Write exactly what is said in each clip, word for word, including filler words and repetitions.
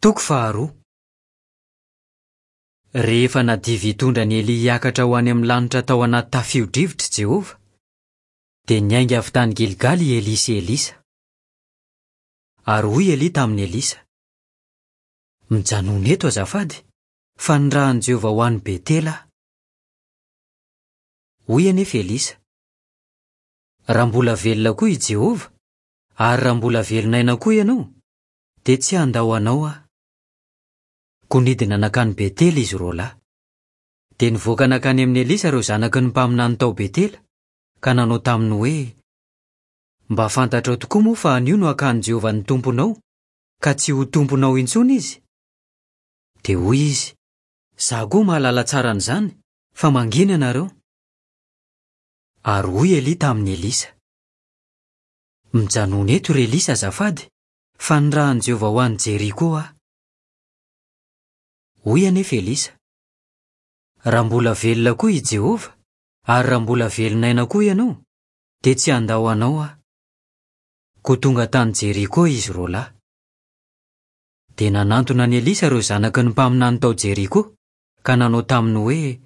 Toko faharoa. Rehefa nadiva hitondra an'i Elia hiakatra ho any amin'ny lanitra tao anaty tafio-drivotra i Jehovah, dia niainga avy tany Gilgala i Elia sy Elisa. Ary hoy Elia tamin'i Elisa: "Mijanona eto azafady, fa nirahan'i Jehovah ho any Betela aho." Hoy anefa Elisa: "Raha mbola velona koa i Jehovah, ary raha mbola velon'aina koa ianao, dia tsy handao anao aho." Koa nidina nankany Betela izy roa lahy. Dia nivoaka nankany amin'i Elisa ireo zanaky ny mpaminany tao Betela, ka nanao taminy hoe: "Mba fantatrao tokoa moa fa anio no hakan'i Jehovah ny tomponao, ka tsy ho tomponao intsony izy?" Dia hoy izy: "Izaho koa mahalala tsara an'izany, fa mangina ianareo." Ary hoy Elia tamin'i Elisa: "Mijanona eto ry Elisa azafady, fa nirahan'i Jehovah ho any Jeriko aho." Hoy anefa Elisa: "Raha mbola velona koa i Jehovah, ary raha mbola velon'aina koa ianao, dia tsy handao anao aho." Koa tonga tany Jeriko izy roa lahy. Dia nanantona an'i Elisa ireo zanaky ny mpaminany tao Jeriko, ka nanao taminy hoe: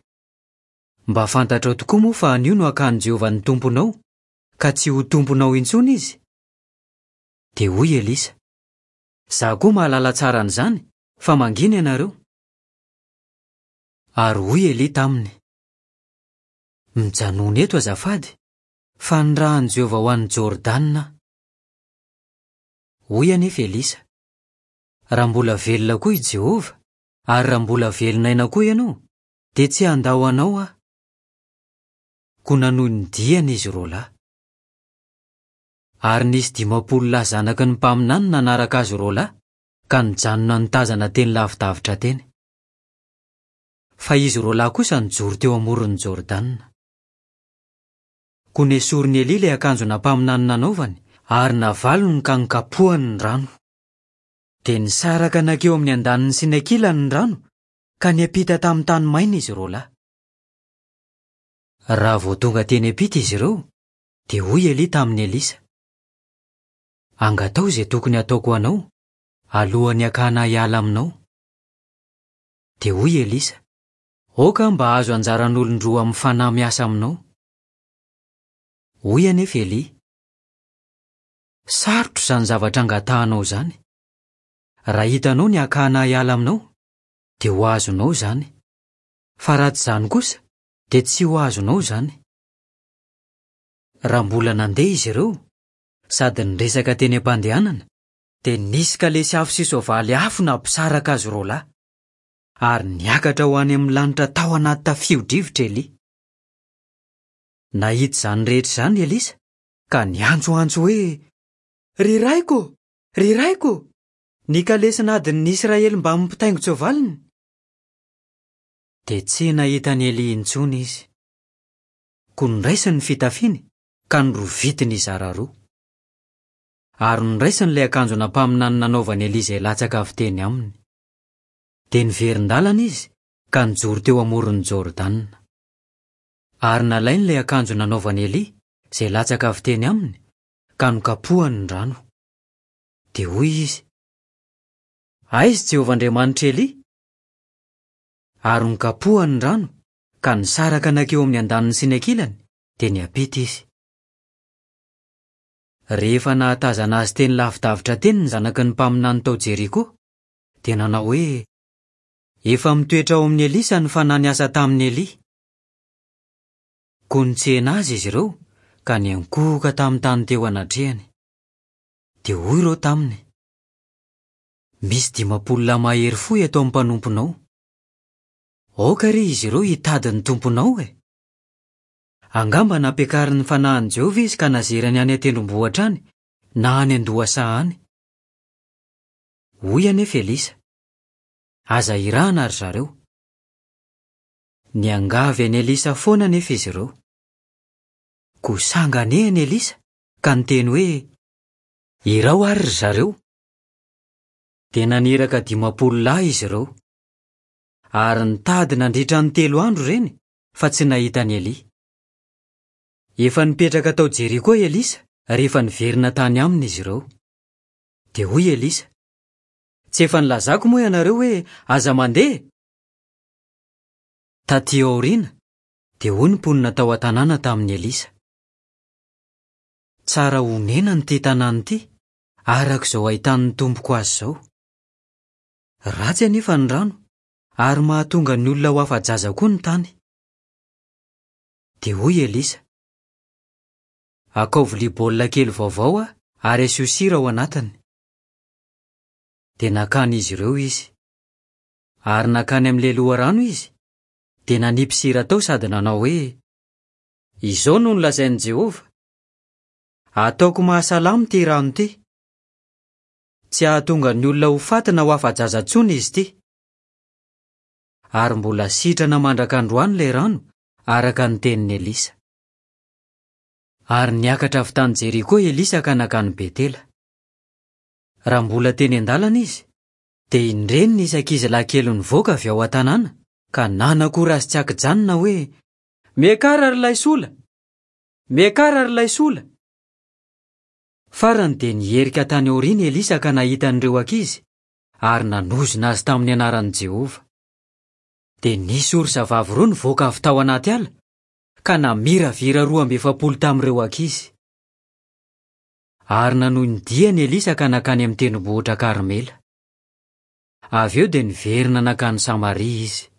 "Mba fantatrao tokoa moa fa anio no hakan'i Jehovah ny tomponao, ka tsy ho tomponao intsony izy?" Dia hoy Elisa: "Izaho koa mahalala tsara an'izany, fa mangina ianareo." Ary hoy Elia taminy: "Mijanona eto azafady, fa nirahan'i Jehovah ho any Jordana aho." Hoy anefa Elisa: "Raha mbola velona koa i Jehovah, ary raha mbola velon'aina koa ianao, dia tsy handao anao aho." Koa nanohy ny diany izy roa lahy. Ary nisy dimampolo lahy zanaky ny mpaminany nanaraka azy roa lahy, ka nijanona nitazana teny lavidavitra teny. Fa izy roa lahy kosa nijoro teo amoron'ny Jordana. Koa nesorin'i Elia ilay akanjo nampaminany nanaovany, ary navalony ka nokapohany ny rano. Dia nisaraka nankeo amin'ny andaniny sy ny ankilany ny rano, ka niampita tamin'ny tany maina izy roa lahy. Raha vao tonga teny ampita izy ireo, dia hoy Elia tamin'i Elisa: "Angatao izay tokony hataoko ho anao, alohan'ny hakana hiala aminao." Dia hoy Elisa: "Aoka mba hahazo anjaran'olon-droa amin'ny fanahy miasa aminao." Hoy anefa Elia: "Sarotra izany zavatra angatahanao izany. Raha hitanao ny hakana hiala aminao, dia ho azonao izany. Fa raha tsy izany kosa, dia tsy ho azonao izany." Raha mbola nandeha izy ireo, sady niresaka teny am-pandehanana, dia nisy kalesy afo sy soavaly afo nampisaraka azy roa lahy, ary niakatra ho any amin'ny lanitra tao anaty tafio-drivotra Elia. Nahita izany rehetra izany Elisa, ka niantsoantso hoe: "Ry raiko, ry raiko, ny kalesin'adin'ny Israely mbamin'ny mpitaingin-tsoavaliny." Dia tsy nahita an'i Elia intsony izy. Koa noraisiny ny fitafiany, ka norovitiny hizara roa. Ary noraisiny ilay akanjo nampaminany nanaovan'i Elia izay latsaka avy teny aminy. Dia niverin-dalana izy, ka nijoro teo amoron'ny Jordana. Ary nalainy ilay akanjo nanaovan'i Elia, izay latsaka avy teny aminy, ka nokapohany ny rano. Dia hoy izy: "Aiza Jehovah Andriamanitr'i Elia?" Ary nokapohany ny rano, ka nisaraka nankeo amin'ny andaniny sy ny ankilany, dia niampita izy. Rehefa nahatazana azy teny lavidavitra teny ny zanaky ny mpaminany tao Jeriko, dia nanao hoe: "Efa mitoetra ao amin'i Elisa ny fanahy niasa tamin'i Elia." Koa nitsena azy izy ireo, ka niankohoka tamin'ny tany teo anatrehany. Dia hoy ireo taminy: "Misy dimampolo lahy mahery fo eto amin'ny mpanomponao. Aoka re izy ireo hitady ny tomponao e! Angamba nampiakarin'ny fanahin'i Jehovah izy ka nazerany any an-tendrombohitra any, na any an-dohasaha any." Hoy anefa Elisa: "Aza irahana ry zareo." Niangavy an'i Elisa foana anefa izy ireo. Koa sanganehana Elisa, ka niteny hoe: "Irao ary ry zareo." Dia naniraka dimampolo lahy izy ireo. Ary nitady nandritra ny telo andro ireny, fa tsy nahita an'i Elia. Efa nipetraka tao Jeriko Elisa rehefa niverina tany aminy izy ireo. Dia hoy Elisa: Tsy efa nilazako moa ianareo hoe aza mandeha? Taty aoriana, dia hoy ny mponina tao an-tanàna tamin'i Elisa: Tsara honenana ity tanàna ity, araka izao ahitan'ny tompoko azy izao. Ratsy anefa ny rano, ary mahatonga ny olona ho afa-jaza koa ny tany. Dia hoy Elisa: Akao vilia baolina kely vaovao aho ary asio sira ao anatiny. Dia nakan'izy ireo izy. Ary nankany amin'ilay loharano izy, dia nanipy sira tao sady nanao hoe: Izao no nolazain'i Jehovah: Ataoko mahasalama ity rano ity. Tsy hahatonga ny olona ho faty na ho afa-jaza intsony izy ity. Ary mbola sitrana mandraka androany ilay rano, araka ny tenin'i Elisa. Ary niakatra avy tany Jeriko Elisa ka nankany Betela. Raha mbola teny an-dalana izy, dia indreny nisy ankizilahy kely nivoaka avy ao an-tanàna ka nanakora azy tsy ankijanona hoe: Miakara ry laisola! Miakara ry laisola! Farany dia niherika tany aoriana Elisa ka nahita an'ireo ankizy ary nanozona azy tamin'ny anaran'i Jehovah. Dia nisy orsa vavy roa nivoaka avy tao anaty ala ka namiravira roa amby efapolo tamin'ireo ankizy. Ary nanohy ny diany Elisa ka nankany amin'ny tendrombohitra Karmela. Avy eo dia niverina nankany Samaria izy.